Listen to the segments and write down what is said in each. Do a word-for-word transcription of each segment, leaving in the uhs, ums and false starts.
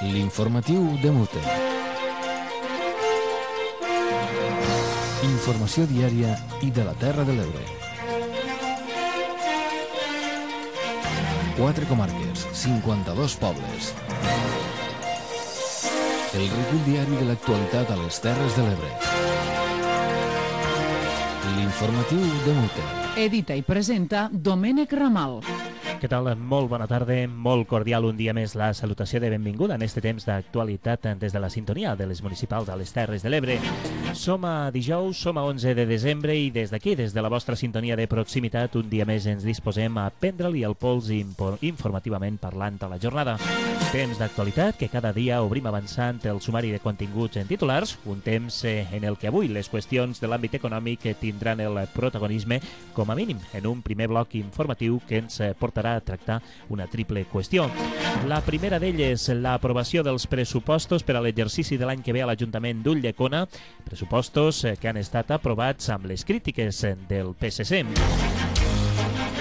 L'informatiu de Mute. Informació diària i de la Terra de l'Ebre. Quatre comarques, cinquanta-dos pobles. El recull diari de l'actualitat a les Terres de l'Ebre. L'informatiu de Mute. Edita i presenta Domènec Ramal. Què tal? Molt bona tarda, molt cordial un dia més la salutació de benvinguda en este temps d'actualitat des de la sintonia de les municipals a les Terres de l'Ebre. Som a dijous, som a onze de desembre i des d'aquí, des de la vostra sintonia de proximitat, un dia més ens disposem a prendre-li el pols informativament parlant a la jornada. Temps d'actualitat que cada dia obrim avançant el sumari de continguts en titulars, un temps en el que avui les qüestions de l'àmbit econòmic tindran el protagonisme, com a mínim, en un primer bloc informatiu que ens portarà a tractar una triple qüestió. La primera d'elles, l'aprovació dels pressupostos per a l'exercici de l'any que ve a l'Ajuntament d'Ulldecona, pressupostos que han estat aprovats amb les crítiques del P S C.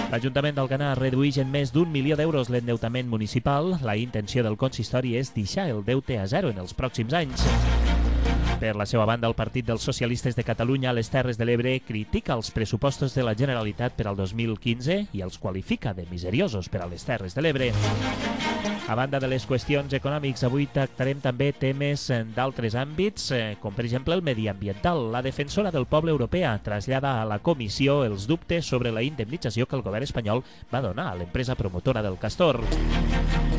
L'Ajuntament d'Alcanar redueix en més d'un milió d'euros l'endeutament municipal. La intenció del consistori és deixar el deute a zero en els pròxims anys. Per la seva banda, el Partit dels Socialistes de Catalunya a les Terres de l'Ebre critica els pressupostos de la Generalitat per al dos mil quinze i els qualifica de miseriosos per a les Terres de l'Ebre. A banda de les qüestions econòmics, avui tractarem també temes d'altres àmbits, com per exemple el mediambiental. La defensora del poble europea trasllada a la comissió els dubtes sobre la indemnització que el govern espanyol va donar a l'empresa promotora del Castor.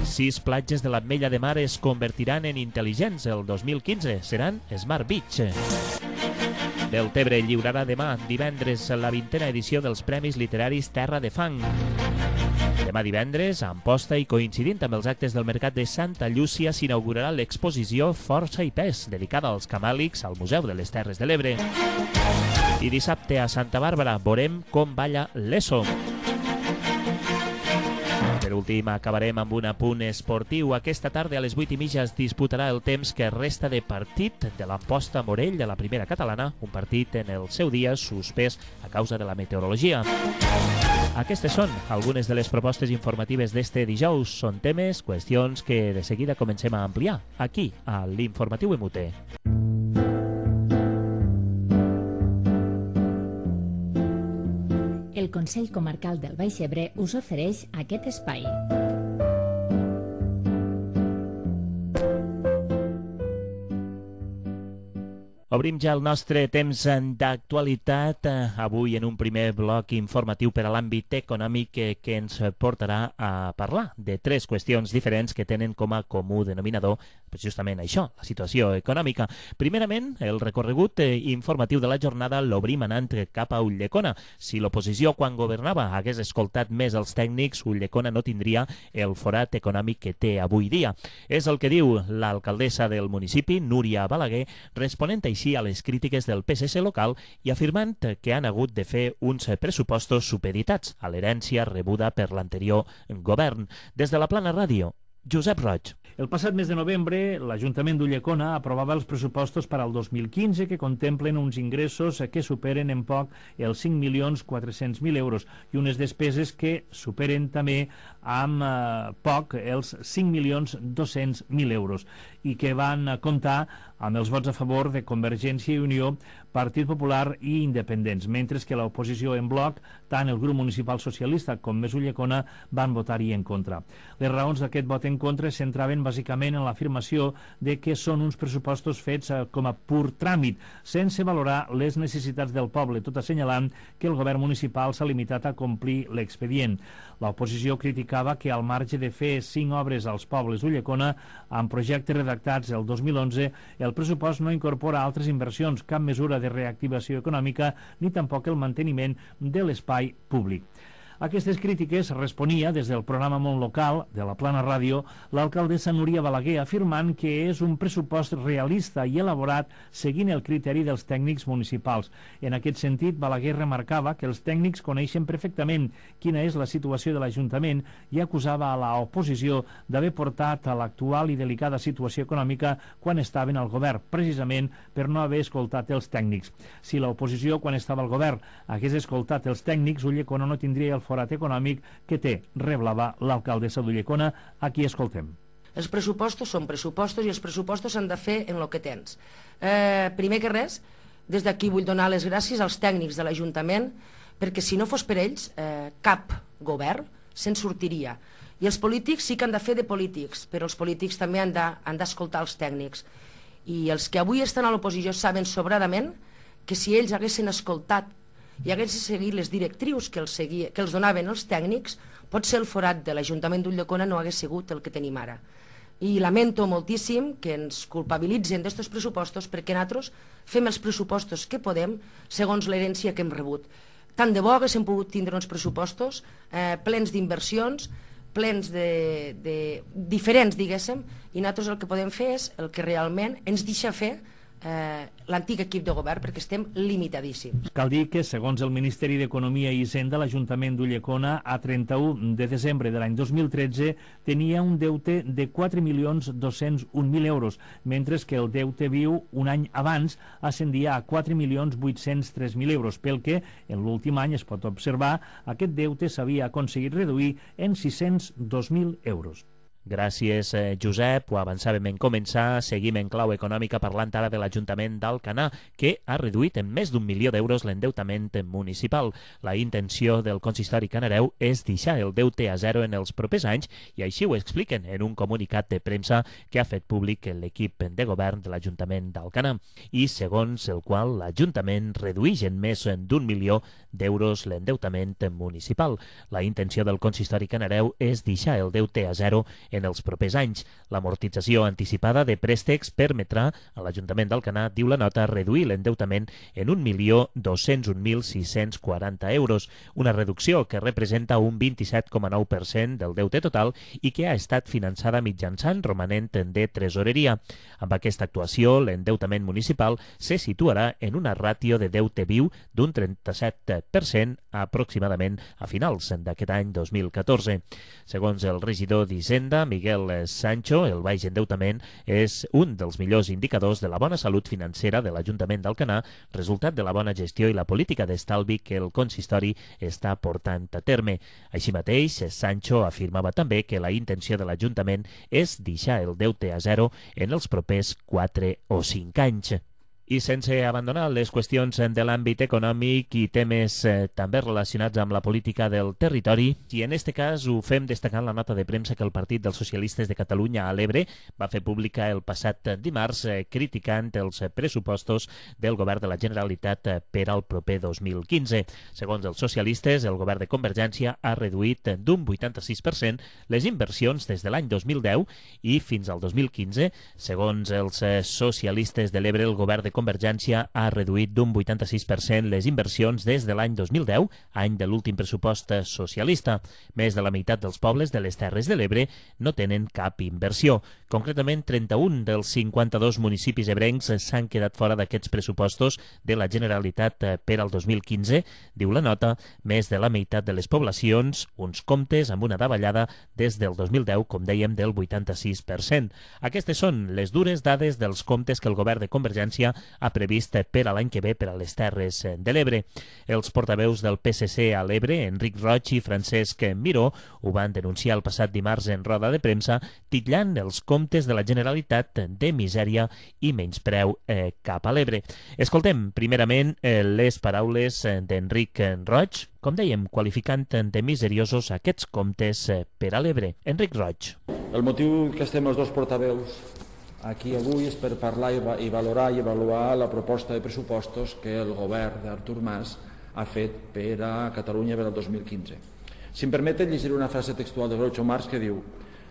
Sis platges de l'Ametlla de Mar es convertiran en intel·ligents el dos mil quinze. Seran Smart Beach. Deltebre lliurarà demà, divendres, la vintena edició dels Premis Literaris Terra de Fang. Demà divendres, a Amposta i coincidint amb els actes del Mercat de Santa Llúcia, s'inaugurarà l'exposició Força i Pes, dedicada als camàlics al Museu de les Terres de l'Ebre. I dissabte a Santa Bàrbara veurem com balla l'Eso. Per últim, acabarem amb un apunt esportiu. Aquesta tarda a les vuit i mitja es disputarà el temps que resta de partit de l'Amposta Morell de la primera catalana, un partit en el seu dia suspès a causa de la meteorologia. Aquestes són algunes de les propostes informatives d'este dijous. Són temes, qüestions que de seguida comencem a ampliar aquí, a l'Informatiu M U T. El Consell Comarcal del Baix Ebre us ofereix aquest espai. Obrim ja el nostre temps d'actualitat, avui en un primer bloc informatiu per a l'àmbit econòmic que, que ens portarà a parlar de tres qüestions diferents que tenen com a comú denominador justament això, la situació econòmica. Primerament, el recorregut informatiu de la jornada l'obrim anant cap a Ulldecona. Si l'oposició quan governava hagués escoltat més els tècnics, Ulldecona no tindria el forat econòmic que té avui dia. És el que diu l'alcaldessa del municipi, Núria Balaguer, responent així a les crítiques del P S C local i afirmant que han hagut de fer uns pressupostos supeditats a l'herència rebuda per l'anterior govern. Des de la Plana Ràdio, Josep Roig. El passat mes de novembre, l'Ajuntament d'Ulldecona aprovava els pressupostos per al dos mil quinze que contemplen uns ingressos que superen en poc els cinc milions quatre-cents mil euros i unes despeses que superen també amb eh, poc els cinc milions dos-cents mil euros i que van comptar amb els vots a favor de Convergència i Unió, Partit Popular i Independents, mentre que l'oposició en bloc, tant el grup municipal socialista com Més Ulldecona, van votar-hi en contra. Les raons d'aquest vot en contra es centraven bàsicament en l'afirmació de que són uns pressupostos fets com a pur tràmit, sense valorar les necessitats del poble, tot assenyalant que el govern municipal s'ha limitat a complir l'expedient. L'oposició criticava que al marge de fer cinc obres als pobles d'Ulldecona, amb projectes redactats el dos mil onze, el pressupost no incorpora altres inversions, cap mesura de reactivació econòmica ni tampoc el manteniment de l'espai públic. A aquestes crítiques responia des del programa Món Local de la Plana Ràdio l'alcaldessa Núria Balaguer, afirmant que és un pressupost realista i elaborat seguint el criteri dels tècnics municipals. En aquest sentit, Balaguer remarcava que els tècnics coneixen perfectament quina és la situació de l'Ajuntament i acusava a l'oposició d'haver portat a l'actual i delicada situació econòmica quan estaven al govern, precisament per no haver escoltat els tècnics. Si l'oposició, quan estava al govern, hagués escoltat els tècnics, Ulldecona no tindria el forat econòmic que té, reblava l'alcaldessa d'Ulldecona, a qui escoltem. Els pressupostos són pressupostos i els pressupostos s'han de fer en el que tens. Eh, primer que res, des d'aquí vull donar les gràcies als tècnics de l'Ajuntament, perquè si no fos per ells, eh, cap govern se'n sortiria. I els polítics sí que han de fer de polítics, però els polítics també han d'escoltar els tècnics. I els que avui estan a l'oposició saben sobradament que si ells haguessin escoltat i haguessin seguit les directrius que els, seguia, que els donaven els tècnics, potser el forat de l'Ajuntament d'Ulldecona no hagués sigut el que tenim ara. I lamento moltíssim que ens culpabilitzen d'estos pressupostos perquè nosaltres fem els pressupostos que podem segons l'herència que hem rebut. Tant de bo haguéssim pogut tindre uns pressupostos eh, plens d'inversions, plens de, de diferents, diguéssim, i nosaltres el que podem fer és el que realment ens deixa fer eh, l'antic equip de govern, perquè estem limitadíssims. Cal dir que, segons el Ministeri d'Economia i Hisenda, l'Ajuntament d'Ulldecona a trenta-u de desembre de l'any dos mil tretze tenia un deute de quatre milions dos-cents un mil euros, mentre que el deute viu un any abans ascendia a quatre milions vuit-cents tres mil euros, pel que en l'últim any es pot observar aquest deute s'havia aconseguit reduir en sis-cents dos mil euros. Gràcies, eh, Josep. Ho avançàvem en començar. Seguim en clau econòmica parlant ara de l'Ajuntament d'Alcanar, que ha reduït en més d'un milió d'euros l'endeutament municipal. La intenció del consistori canareu és deixar el deute a zero en els propers anys i així ho expliquen en un comunicat de premsa que ha fet públic l'equip de govern de l'Ajuntament d'Alcanar i segons el qual l'Ajuntament redueix en més d'un milió d'euros l'endeutament municipal. La intenció del consistori canareu és deixar el deute a zero en els propers anys. L'amortització anticipada de préstecs permetrà a l'Ajuntament d'Alcanar, diu la nota, reduir l'endeutament en un milió dos-cents un mil sis-cents quaranta euros, una reducció que representa un vint-i-set coma nou per cent del deute total i que ha estat finançada mitjançant romanent de tresoreria. Amb aquesta actuació, l'endeutament municipal se situarà en una ràtio de deute viu d'un trenta-set per cent aproximadament a finals d'aquest any dos mil catorze. Segons el regidor d'Hisenda, Miguel Sancho, el baix endeutament és un dels millors indicadors de la bona salut financera de l'Ajuntament d'Alcanar, resultat de la bona gestió i la política d'estalvi que el consistori està portant a terme. Així mateix, Sancho afirmava també que la intenció de l'Ajuntament és deixar el deute a zero en els propers quatre o cinc anys. I sense abandonar les qüestions de l'àmbit econòmic i temes eh, també relacionats amb la política del territori, i en este cas ho fem destacant la nota de premsa que el Partit dels Socialistes de Catalunya a l'Ebre va fer pública el passat dimarts eh, criticant els pressupostos del govern de la Generalitat eh, per al proper dos mil quinze. Segons els socialistes, el govern de Convergència ha reduït d'un vuitanta-sis per cent les inversions des de l'any dos mil deu i fins al dos mil quinze. Segons els eh, socialistes de l'Ebre, el govern de Convergència ha reduït d'un vuitanta-sis per cent les inversions des de l'any dos mil deu, any de l'últim pressupost socialista. Més de la meitat dels pobles de les Terres de l'Ebre no tenen cap inversió. Concretament, trenta-un dels cinquanta-dos municipis ebrencs s'han quedat fora d'aquests pressupostos de la Generalitat per al dos mil quinze. Diu la nota, més de la meitat de les poblacions, uns comptes amb una davallada des del dos mil deu, com dèiem, del vuitanta-sis per cent. Aquestes són les dures dades dels comptes que el govern de Convergència ha previst per a l'any que ve per a les Terres de l'Ebre. Els portaveus del P S C a l'Ebre, Enric Roig i Francesc Miró, ho van denunciar el passat dimarts en roda de premsa, titllant els comptes de la Generalitat de misèria i menyspreu eh, cap a l'Ebre. Escoltem primerament eh, les paraules d'Enric Roig, com dèiem, qualificant de miseriosos aquests comptes eh, per a l'Ebre. Enric Roig. El motiu que estem els dos portaveus aquí avui és per parlar i valorar i avaluar la proposta de pressupostos que el govern d'Artur Mas ha fet per a Catalunya per al dos mil quinze. Si em permeten, llegiré una frase textual de Groucho Marx que diu: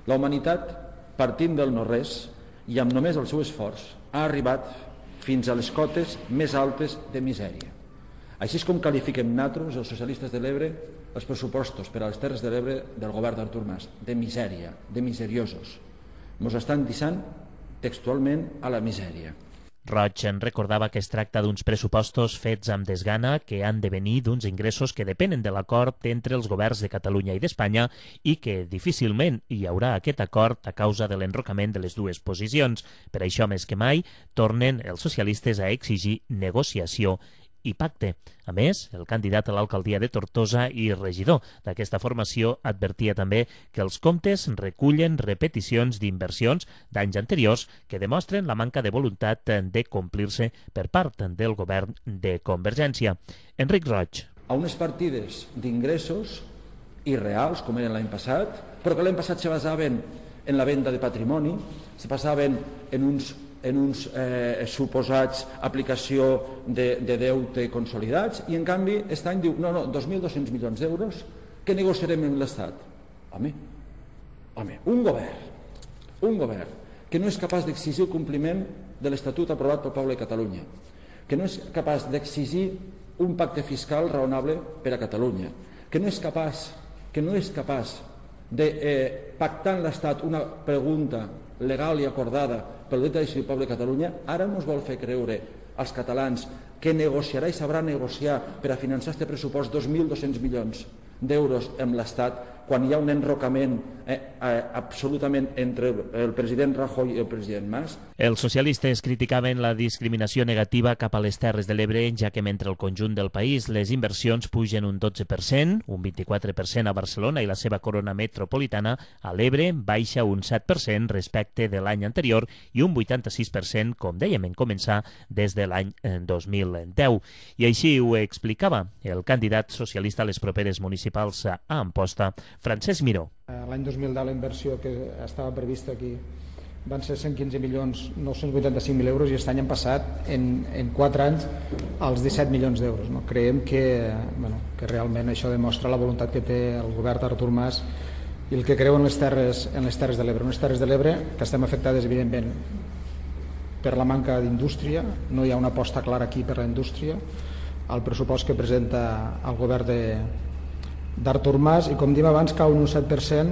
la humanitat, partint del no-res i amb només el seu esforç, ha arribat fins a les cotes més altes de misèria. Així és com qualifiquem nosaltres, els socialistes de l'Ebre, els pressupostos per a les Terres de l'Ebre del govern d'Artur Mas, de misèria, de miseriosos. Ens estan deixant textualment a la misèria. Roig en recordava que es tracta d'uns pressupostos fets amb desgana que han de venir d'uns ingressos que depenen de l'acord entre els governs de Catalunya i d'Espanya i que difícilment hi haurà aquest acord a causa de l'enrocament de les dues posicions. Per això, més que mai, tornen els socialistes a exigir negociació i Pacte. A més, el candidat a l'alcaldia de Tortosa i regidor d'aquesta formació advertia també que els comptes recullen repeticions d'inversions d'anys anteriors que demostren la manca de voluntat de complir-se per part del govern de Convergència. Enric Roig. A unes partides d'ingressos irreals, com eren l'any passat, però que l'any passat se basaven en la venda de patrimoni, se basaven en uns en uns eh, suposats aplicació de, de deute consolidats, i en canvi aquest any diu, no, no, dos mil dos-cents milions d'euros que negociarem amb l'Estat. Home, home, un govern, un govern que no és capaç d'exigir el compliment de l'Estatut aprovat pel poble de Catalunya, que no és capaç d'exigir un pacte fiscal raonable per a Catalunya, que no és capaç, que no és capaç de eh, pactar amb l'Estat una pregunta legal i acordada pel dret a decidir el poble de Catalunya, ara ens vol fer creure als catalans que negociarà i sabrà negociar per a finançar aquest pressupost dos mil dos-cents milions d'euros amb l'Estat, quan hi ha un enrocament eh, eh, absolutament entre el president Rajoy i el president Mas. Els socialistes criticaven la discriminació negativa cap a les Terres de l'Ebre, ja que mentre el conjunt del país les inversions pugen un dotze per cent, un vint-i-quatre per cent a Barcelona i la seva corona metropolitana, a l'Ebre baixa un set per cent respecte de l'any anterior i un vuitanta-sis per cent, com dèiem en començar, des de l'any dos mil deu. I així ho explicava el candidat socialista a les properes municipals a Amposta, Francesc Miró. L'any dos mil deu la inversió que estava prevista aquí van ser cent quinze milions nou-cents vuitanta-cinc mil euros i aquest any han passat en, en quatre anys als disset milions d'euros. No? Creiem que, bueno, que realment això demostra la voluntat que té el govern d'Artur Mas i el que creu en les terres, en les terres de l'Ebre. Unes terres de l'Ebre que estem afectades, evidentment, per la manca d'indústria. No hi ha una aposta clara aquí per la indústria. El pressupost que presenta el govern de d'Artur Mas, i com diem abans, cau un set per cent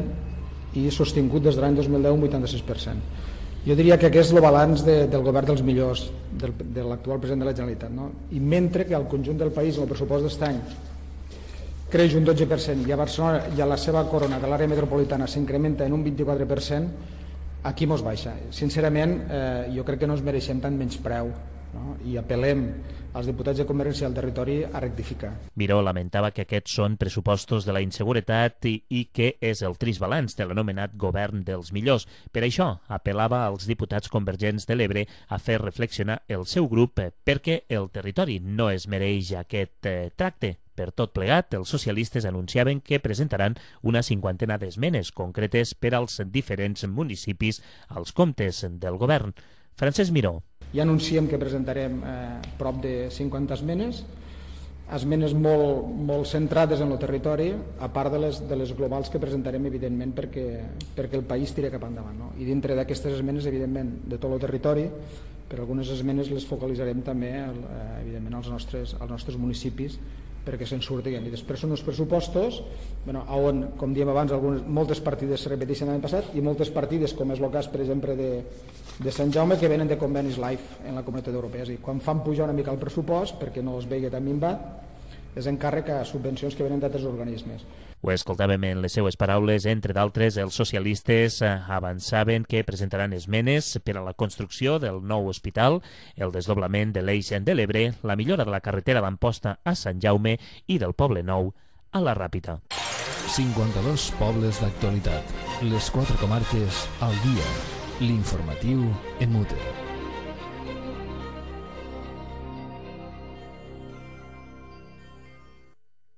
i sostingut des de l'any dos mil deu un vuitanta-sis per cent. Jo diria que aquest és el balanç de, del govern dels millors, del, de l'actual president de la Generalitat. No? I mentre que al conjunt del país el pressupost d'aquest any creix un dotze per cent i a Barcelona i a la seva corona de l'àrea metropolitana s'incrementa en un vint-i-quatre per cent, aquí mos baixa. Sincerament, eh, jo crec que no ens mereixem tant menyspreu, no? I apel·lem als diputats de Convergència al territori a rectificar. Miró lamentava que aquests són pressupostos de la inseguretat i, i que és el trist balanç de l'anomenat govern dels millors. Per això apel·lava als diputats convergents de l'Ebre a fer reflexionar el seu grup perquè el territori no es mereix aquest eh, tracte. Per tot plegat, els socialistes anunciaven que presentaran una cinquantena d'esmenes concretes per als diferents municipis als comptes del govern. Francesc Miró. Ja anunciem que presentarem eh, prop de cinquanta esmenes, esmenes molt, molt centrades en el territori, a part de les, de les globals que presentarem, evidentment, perquè, perquè el país tira cap endavant. No? I dintre d'aquestes esmenes, evidentment, de tot el territori, però algunes esmenes les focalitzarem també, eh, evidentment, als nostres, als nostres municipis, perquè se'n surtin. I després són uns pressupostos bueno, on, com diem abans, algunes, moltes partides se repeteixen l'any passat i moltes partides, com és el cas, per exemple, de, de Sant Jaume, que venen de convenis LIFE en la Comunitat Europea. És a dir, quan fan pujar una mica el pressupost, perquè no es vegi tan minvat, és encàrrec a subvencions que venen d'altres organismes. Ho escoltàvem en les seues paraules. Entre d'altres, els socialistes avançaven que presentaran esmenes per a la construcció del nou hospital, el desdoblament de l'Eix de l'Ebre, la millora de la carretera d'Amposta a Sant Jaume i del Poble Nou a la Ràpita. cinquanta-dos pobles d'actualitat. Les quatre comarques al dia. L'informatiu en Mute.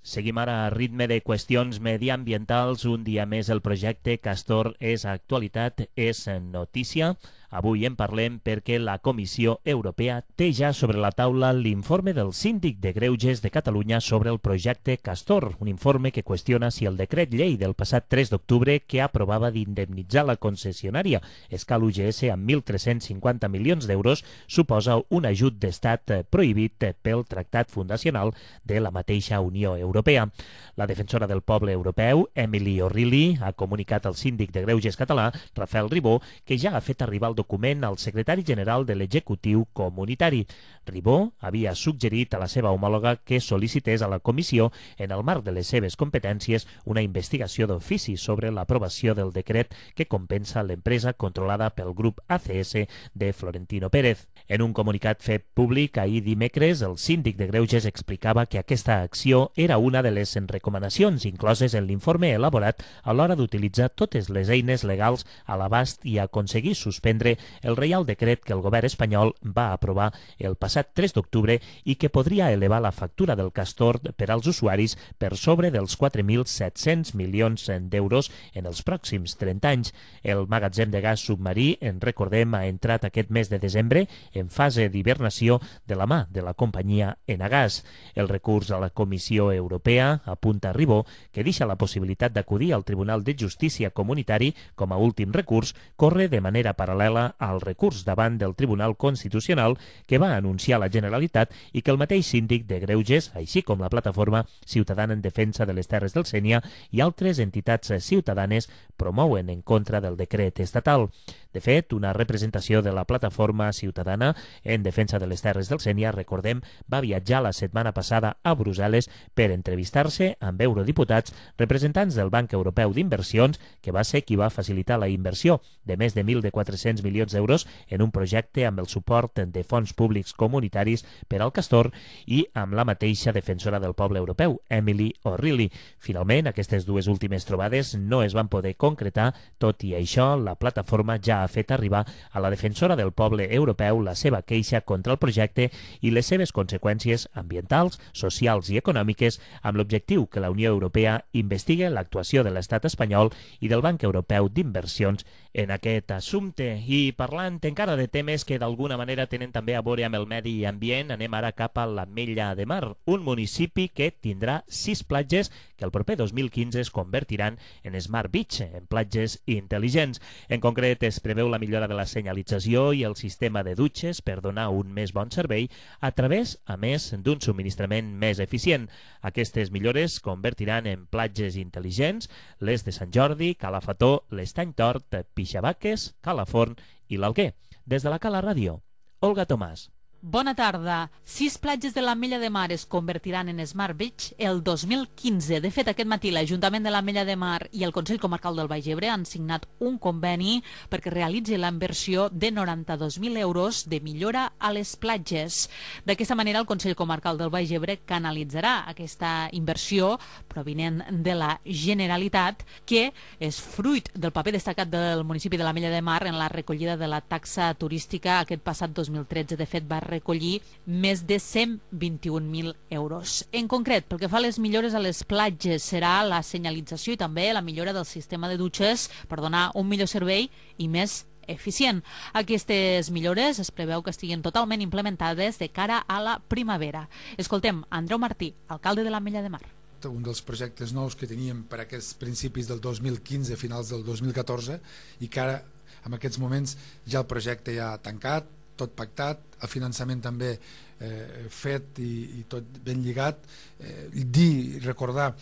Seguim ara a ritme de qüestions mediambientals. Un dia més el projecte Castor és actualitat, és notícia. Avui en parlem perquè la Comissió Europea té ja sobre la taula l'informe del Síndic de Greuges de Catalunya sobre el projecte Castor, un informe que qüestiona si el decret llei del passat tres d'octubre que aprovava d'indemnitzar la concessionària Escal U G S amb mil tres-cents cinquanta milions d'euros suposa un ajut d'estat prohibit pel Tractat Fundacional de la mateixa Unió Europea. Europea. La defensora del poble europeu, Emily O'Reilly, ha comunicat al síndic de Greuges català, Rafael Ribó, que ja ha fet arribar el document al secretari general de l'executiu comunitari. Ribó havia suggerit a la seva homòloga que sol·licités a la comissió, en el marc de les seves competències, una investigació d'ofici sobre l'aprovació del decret que compensa l'empresa controlada pel grup A C S de Florentino Pérez. En un comunicat fet públic ahir dimecres, el síndic de Greuges explicava que aquesta acció era una de les recomanacions incloses en l'informe elaborat a l'hora d'utilitzar totes les eines legals a l'abast i aconseguir suspendre el Reial Decret que el govern espanyol va aprovar el passat tres d'octubre i que podria elevar la factura del Castor per als usuaris per sobre dels quatre mil set-cents milions d'euros en els pròxims trenta anys. El magatzem de gas submarí, en recordem, ha entrat aquest mes de desembre en fase d'hibernació de la mà de la companyia Enagas. El recurs a la Comissió Europea, apunta Ribó, que deixa la possibilitat d'acudir al Tribunal de Justícia Comunitari com a últim recurs, corre de manera paral·lela al recurs davant del Tribunal Constitucional que va anunciar la Generalitat i que el mateix síndic de Greuges, així com la plataforma ciutadana en defensa de les Terres del Sénia i altres entitats ciutadanes promouen en contra del decret estatal. De fet, una representació de la plataforma ciutadana en defensa de les Terres del Sénia, recordem, va viatjar la setmana passada a Brussel·les per entrevistar-se amb eurodiputats representants del Banc Europeu d'Inversions, que va ser qui va facilitar la inversió de més de mil quatre-cents milions d'euros en un projecte amb el suport de fons públics comunitaris per al Castor i amb la mateixa defensora del poble europeu, Emily O'Reilly. Finalment, aquestes dues últimes trobades no es van poder concretar, tot i això, la plataforma ja ha fet arribar a la defensora del poble europeu la seva queixa contra el projecte i les seves conseqüències ambientals, socials i econòmiques, amb l'objectiu que la Unió Europea investigui l'actuació de l'estat espanyol i del Banc Europeu d'Inversions en aquest assumpte. I parlant encara de temes que d'alguna manera tenen també a veure amb el medi ambient, anem ara cap a l'Ametlla de Mar, un municipi que tindrà sis platges que el proper dos mil quinze es convertiran en Smart Beach, en platges intel·ligents. En concret, es preveu la millora de la senyalització i el sistema de dutxes per donar un més bon servei a través, a més, d'un subministrament més eficient. Aquestes millores convertiran en platges intel·ligents les de Sant Jordi, Calafató, l'Estany Tort, Pixabaques, Calaforn i l'Alguer. Des de la Cala Ràdio, Olga Tomàs. Bona tarda. Sis platges de l'Ametlla de Mar es convertiran en Smart Beach el dos mil quinze. De fet, aquest matí l'Ajuntament de l'Ametlla de Mar i el Consell Comarcal del Baix Ebre han signat un conveni perquè realitzi la inversió de noranta-dos mil euros de millora a les platges. D'aquesta manera, el Consell Comarcal del Baix Ebre canalitzarà aquesta inversió provinent de la Generalitat, que és fruit del paper destacat del municipi de l'Ametlla de Mar en la recollida de la taxa turística aquest passat dos mil tretze. De fet, va recollir més de cent vint-i-un mil euros. En concret, pel que fa a les millores a les platges, serà la senyalització i també la millora del sistema de dutxes per donar un millor servei i més eficient. Aquestes millores es preveu que estiguin totalment implementades de cara a la primavera. Escoltem Andreu Martí, alcalde de l'Ametlla de Mar. Un dels projectes nous que teníem per aquests principis del dos mil quinze, finals del dos mil catorze, i que ara, en aquests moments, ja el projecte ja ha tancat, tot pactat, el finançament també eh, fet i, i tot ben lligat. Eh, dir, recordar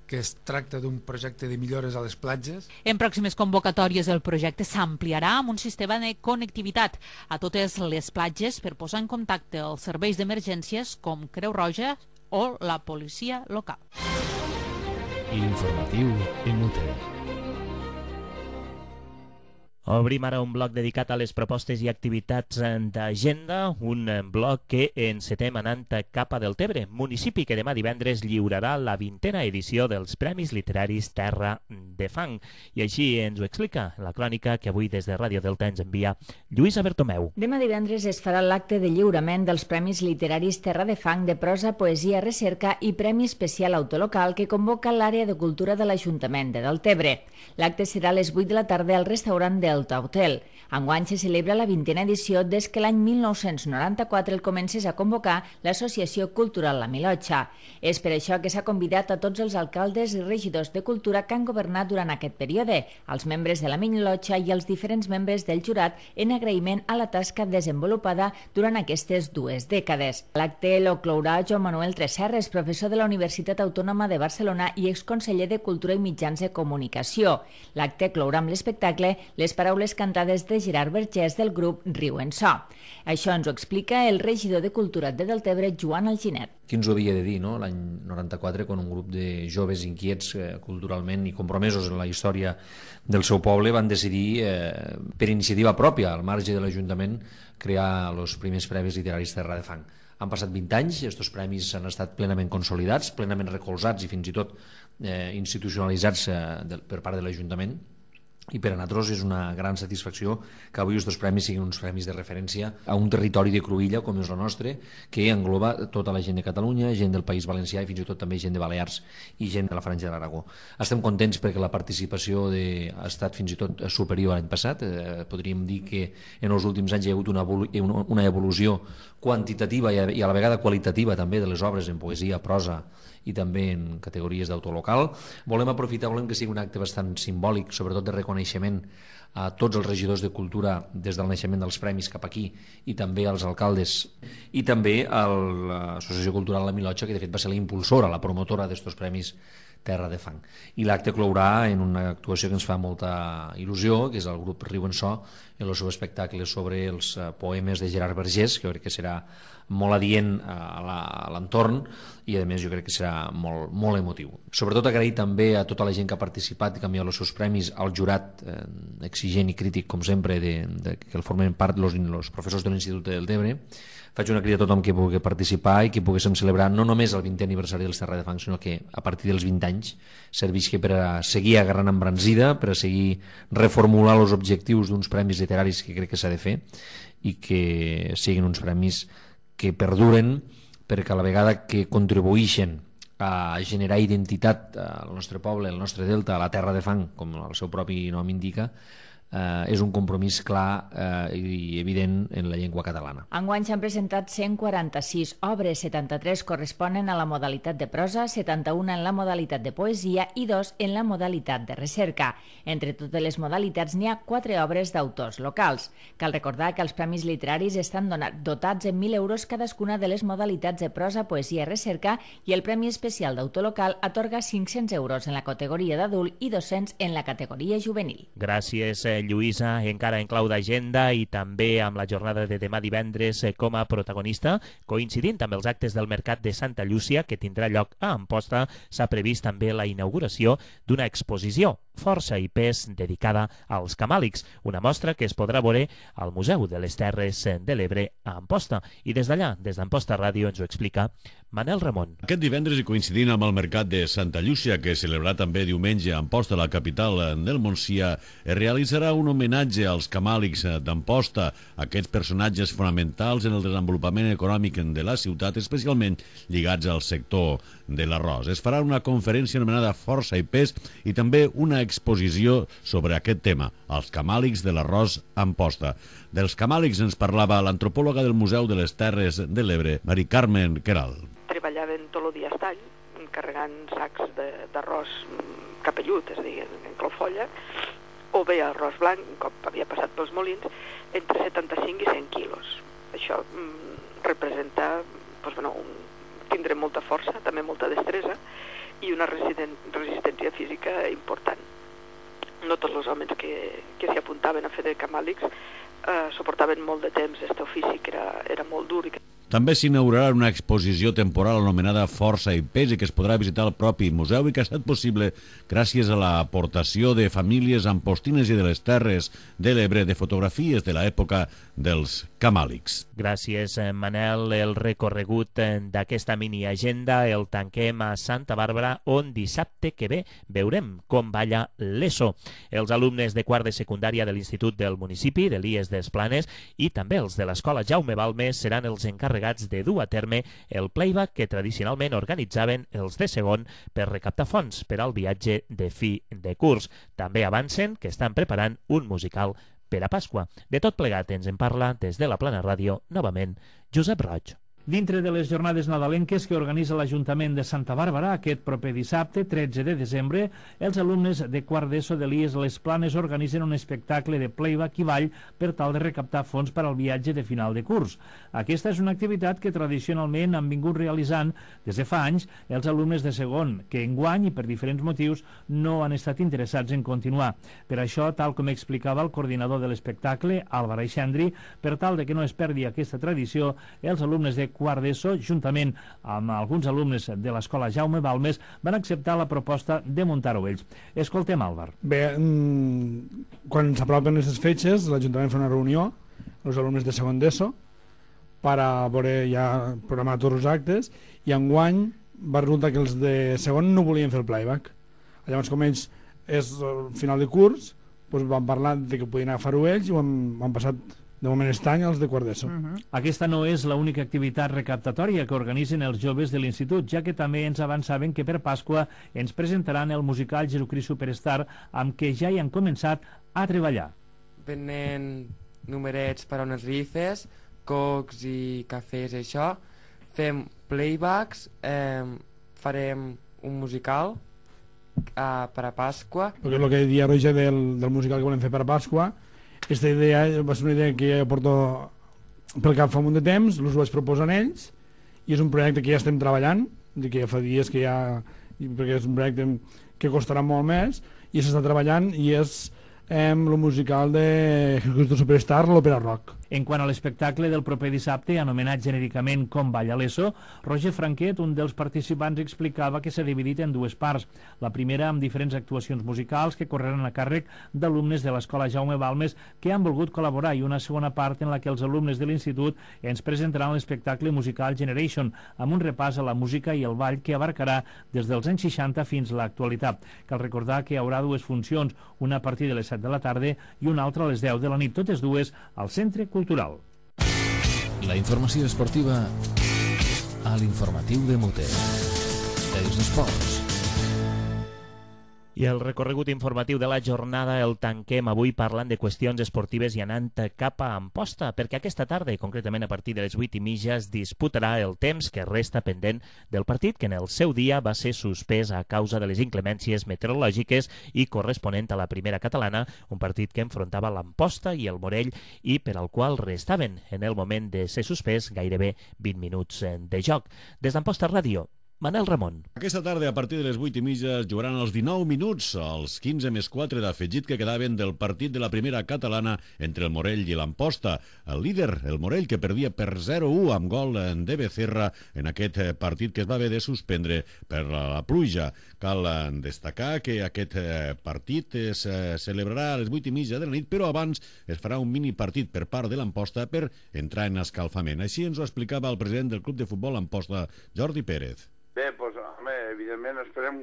que es tracta d'un projecte de millores a les platges. En pròximes convocatòries el projecte s'ampliarà amb un sistema de connectivitat a totes les platges per posar en contacte els serveis d'emergències com Creu Roja o la policia local. L'informatiu en Muter. Obrim ara un bloc dedicat a les propostes i activitats d'agenda, un bloc que encetem anant cap a Deltebre, municipi que demà divendres lliurarà la vintena edició dels Premis Literaris Terra de Fang. I així ens ho explica la crònica que avui des de Ràdio Delta ens envia Lluïsa Bertomeu. Demà divendres es farà l'acte de lliurament dels Premis Literaris Terra de Fang de prosa, poesia, recerca i Premi Especial Autolocal que convoca l'àrea de cultura de l'Ajuntament de Deltebre. L'acte serà a les vuit de la tarda al restaurant del Delta Hotel. Enguany se celebra la vintena edició des que l'any mil nou-cents noranta-quatre el comencés a convocar l'Associació Cultural La Milotxa. És per això que s'ha convidat a tots els alcaldes i regidors de cultura que han governat durant aquest període, als membres de La Milotxa i als diferents membres del jurat en agraïment a la tasca desenvolupada durant aquestes dues dècades. L'acte lo clourà Joan Manuel Tresserres, professor de la Universitat Autònoma de Barcelona i exconseller de Cultura i Mitjans de Comunicació. L'acte clourà amb l'espectacle Les paraules cantades de Gerard Vergés del grup Riu en So. Això ens ho explica el regidor de Cultura de Deltebre, Joan Alginet. Qui ens ho havia de dir, no? L'any noranta-quatre, quan un grup de joves inquiets eh, culturalment i compromesos en la història del seu poble van decidir, eh, per iniciativa pròpia, al marge de l'Ajuntament, crear els primers premis literaris Terra de Fang. Han passat vint anys, aquests premis han estat plenament consolidats, plenament recolzats i fins i tot eh, institucionalitzats eh, de, per part de l'Ajuntament. I per a nosaltres és una gran satisfacció que avui aquests premis siguin uns premis de referència a un territori de cruïlla com és el nostre, que engloba tota la gent de Catalunya, gent del País Valencià i fins i tot també gent de Balears i gent de la Franja de l'Aragó. Estem contents perquè la participació de... ha estat fins i tot superior a l'any passat. Eh, podríem dir que en els últims anys hi ha hagut una, una evolució quantitativa i a, i a la vegada qualitativa també de les obres en poesia, prosa i també en categories d'autor local. Volem aprofitar, volem que sigui un acte bastant simbòlic, sobretot de reconeixement a tots els regidors de cultura des del naixement dels premis cap aquí i també als alcaldes i també a l'Associació Cultural La Milotxa, que de fet va ser la impulsora, la promotora d'estos premis Terra de Fang. I l'acte clourà en una actuació que ens fa molta il·lusió, que és el grup Riu en So, en el seu espectacle sobre els poemes de Gerard Vergés, que jo crec que serà molt adient a l'entorn i a més jo crec que serà molt, molt emotiu. Sobretot agrair també a tota la gent que ha participat i que ha enviat els seus premis, al jurat eh, exigent i crític com sempre de, de, que el formen part els professors de l'Institut de Deltebre. Faig una crida a tothom que pugui participar i que poguéssim celebrar no només el vintè aniversari dels Terra de Fang, sinó que a partir dels vint anys servisqui per a seguir agarrant embranzida, per a seguir reformular els objectius d'uns premis literaris que crec que s'ha de fer i que siguin uns premis que perduren, perquè a la vegada que contribueixen a generar identitat al nostre poble, al nostre delta, a la Terra de Fang, com el seu propi nom indica, eh, és un compromís clar eh, i evident en la llengua catalana. Enguany s'han presentat cent quaranta-sis obres, setanta-tres corresponen a la modalitat de prosa, setanta-una en la modalitat de poesia i dos en la modalitat de recerca. Entre totes les modalitats n'hi ha quatre obres d'autors locals. Cal recordar que els premis literaris estan donat, dotats en mil euros cadascuna de les modalitats de prosa, poesia i recerca, i el Premi Especial d'Autor Local atorga cinc-cents euros en la categoria d'adult i dos-cents en la categoria juvenil. Gràcies, Lluïsa. Encara en clau d'agenda i també amb la jornada de demà divendres com a protagonista, coincidint amb els actes del Mercat de Santa Llúcia que tindrà lloc a Amposta, s'ha previst també la inauguració d'una exposició, Força i Pes, dedicada als camàlics, una mostra que es podrà veure al Museu de les Terres de l'Ebre a Amposta. I des d'allà, des d'Amposta Ràdio, ens ho explica Manel Ramon. Aquest divendres, i coincidint amb el Mercat de Santa Llúcia, que es celebrarà també diumenge a Amposta, la capital del Montsià, es realitzarà un homenatge als camàlics d'Amposta, aquests personatges fonamentals en el desenvolupament econòmic de la ciutat, especialment lligats al sector de l'arròs. Es farà una conferència anomenada Força i Pes i també una exposició sobre aquest tema, els camàlics de l'arròs a Amposta. Dels camàlics ens parlava l'antropòloga del Museu de les Terres de l'Ebre, Mari Carmen Queral. Treballaven tot el dia a estall, carregant sacs d'arròs capellut, és a dir, en clofolla, o bé arròs blanc, un cop havia passat pels molins, entre setanta-cinc i cent quilos. Això mm, representa doncs, bueno, un, tindre molta força, també molta destresa, i una resistència física important. No tots els homes que, que s'hi apuntaven a fer de camàlics eh, suportaven molt de temps aquest ofici, que era, era molt dur. També s'inaugurarà una exposició temporal anomenada Força i Pes i que es podrà visitar al propi museu i que ha estat possible gràcies a l'aportació de famílies ampostines i de les Terres de l'Ebre de fotografies de l'època dels camàlics. Gràcies, Manel. El recorregut d'aquesta mini-agenda el tanquem a Santa Bàrbara, on dissabte que ve veurem com balla l'ESO. Els alumnes de quart de secundària de l'Institut del municipi, de l'I E S des Planes, i també els de l'Escola Jaume Balmes seran els encarregats de dur a terme el playback que tradicionalment organitzaven els de segon per recaptar fons per al viatge de fi de curs. També avancen que estan preparant un musical per a Pasqua. De tot plegat ens en parla des de la Plana Ràdio, novament, Josep Roig. Dintre de les jornades nadalenques que organitza l'Ajuntament de Santa Bàrbara, aquest proper dissabte, tretze de desembre, els alumnes de quart d'ESO de l'I E S Les Planes organitzen un espectacle de playback i ball per tal de recaptar fons per al viatge de final de curs. Aquesta és una activitat que tradicionalment han vingut realitzant des de fa anys els alumnes de segon, que enguany i per diferents motius no han estat interessats en continuar. Per això, tal com explicava el coordinador de l'espectacle, Álvaro Aixendri, per tal de que no es perdi aquesta tradició, els alumnes de quart d'ESO, juntament amb alguns alumnes de l'Escola Jaume Balmes, van acceptar la proposta de muntar-ho ells. Escoltem, Álvar. Bé, quan s'apropen aquestes fetges, l'Ajuntament fa una reunió els alumnes de segon d'ESO per a veure ja programar tots els actes, i enguany va resultar que els de segon no volien fer el playback. Llavors, com ells és el final de curs, doncs van parlar de que podien agafar-ho ells i ho han, ho han passat de moment aquest any els de quart d'ESO. Uh -huh. Aquesta no és l'única activitat recaptatòria que organitzen els joves de l'institut, ja que també ens avançaven que per Pasqua ens presentaran el musical Jesucrist Superstar, amb què ja hi han començat a treballar. Venen numerets per a unes rifes, cocs i cafès, això. Fem playbacks, eh, farem un musical eh, per a Pasqua. Perquè és el que deia Roger del, del musical que volem fer per a Pasqua. Aquesta idea va ser una idea que ja porto pel cap fa un munt de temps, us ho vaig proposar ells, i és un projecte que ja estem treballant, que ja fa dies que ja... perquè és un projecte que costarà molt més, i s'està treballant, i és eh, el musical de Jesucristo Superstar, l'òpera rock. En quant a l'espectacle del proper dissabte, anomenat genèricament Com balla l'ESO, Roger Franquet, un dels participants, explicava que s'ha dividit en dues parts. La primera amb diferents actuacions musicals que correran a càrrec d'alumnes de l'Escola Jaume Balmes que han volgut col·laborar, i una segona part en la que els alumnes de l'institut ens presentaran l'espectacle musical Generation, amb un repàs a la música i el ball que abarcarà des dels anys seixanta fins a l'actualitat. Cal recordar que hi haurà dues funcions, una a partir de les set de la tarda i una altra a les deu de la nit, totes dues al Centre Cultural. La informació esportiva a l'informatiu de Mute. Els esports. I el recorregut informatiu de la jornada el tanquem avui parlant de qüestions esportives i anant cap a Amposta, perquè aquesta tarda, concretament a partir de les vuit i mitja, es disputarà el temps que resta pendent del partit, que en el seu dia va ser suspès a causa de les inclemències meteorològiques i corresponent a la primera catalana, un partit que enfrontava l'Amposta i el Morell i per al qual restaven, en el moment de ser suspès, gairebé vint minuts de joc. Des d'Amposta Ràdio, Manel Ramon. Aquesta tarda, a partir de les vuit i mitja, es jugaran els dinou minuts, els quinze més quatre d'afegit que quedaven del partit de la primera catalana entre el Morell i l'Amposta. El líder, el Morell, que perdia per zero a u amb gol de Becerra en aquest partit que es va haver de suspendre per la pluja. Cal destacar que aquest partit es celebrarà a les vuit i mitja de la nit, però abans es farà un mini partit per part de l'Amposta per entrar en escalfament. Així ens ho explicava el president del Club de Futbol Amposta, Jordi Pérez. Bé, doncs, home, evidentment esperem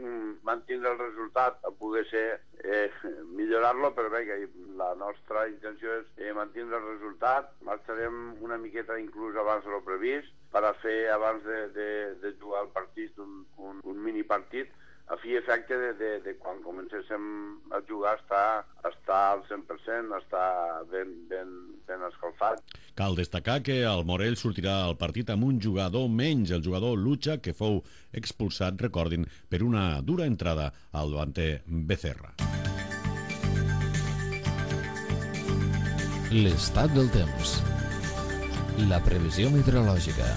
mantenir el resultat, a poder ser eh, millorar-lo, però bé, que la nostra intenció és eh, mantenir el resultat. Marxarem una miqueta inclús abans de lo previst per a fer, abans de, de, de jugar el partit, un, un, un mini partit, a fi i efecte de, de, de quan comencéssim a jugar estar, estar al cent per cent, estar ben, ben, ben escalfat. Cal destacar que el Morell sortirà al partit amb un jugador menys, el jugador Lucha, que fou expulsat, recordin, per una dura entrada al davanter Becerra. L'estat del temps. La previsió meteorològica.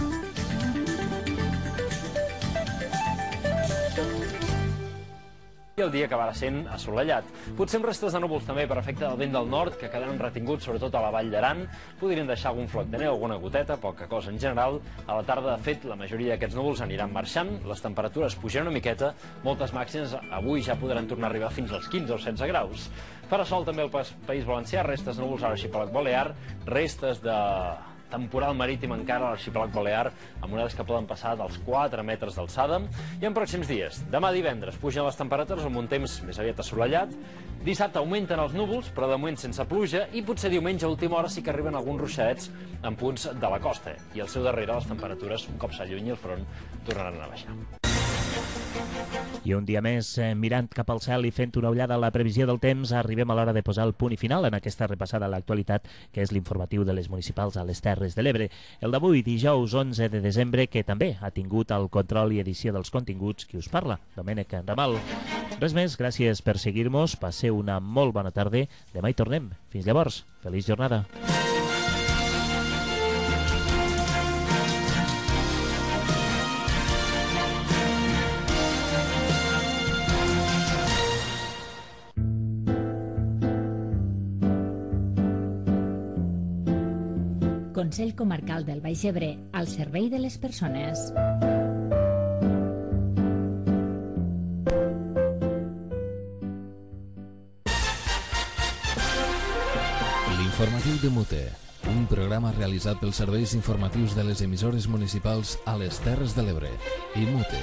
i el dia acabarà sent assolellat. Potser amb restes de núvols també per efecte del vent del nord, que quedaran retinguts sobretot a la Vall d'Aran. Podrien deixar algun floc de neu, alguna goteta, poca cosa en general. A la tarda, de fet, la majoria d'aquests núvols aniran marxant, les temperatures pujaran una miqueta, moltes màximes avui ja podran tornar a arribar fins als quinze o setze graus. Farà sol també al País Valencià, restes de núvols a l'arxipèlag balear, restes de temporal marítim encara a l'arxipèlag balear, amb onades que poden passar dels quatre metres d'alçada. I en pròxims dies, demà divendres, pugen les temperatures amb un temps més aviat assolellat. Dissabte augmenten els núvols, però de moment sense pluja, i potser diumenge a última hora sí que arriben alguns ruixadets en punts de la costa. I al seu darrere les temperatures, un cop s'allunyi el front, tornaran a baixar. I un dia més, eh, mirant cap al cel i fent una ullada a la previsió del temps, arribem a l'hora de posar el punt i final en aquesta repassada a l'actualitat, que és l'informatiu de les municipals a les Terres de l'Ebre. El d'avui, dijous onze de desembre, que també ha tingut el control i edició dels continguts qui us parla, Domènec Ramal. Res més, gràcies per seguir-nos, passeu una molt bona tarda, demà hi tornem. Fins llavors, feliç jornada. Consell Comarcal del Baix Ebre, al servei de les persones. L'informatiu de Mute, un programa realitzat pels serveis informatius de les emissores municipals a les Terres de l'Ebre i Mute.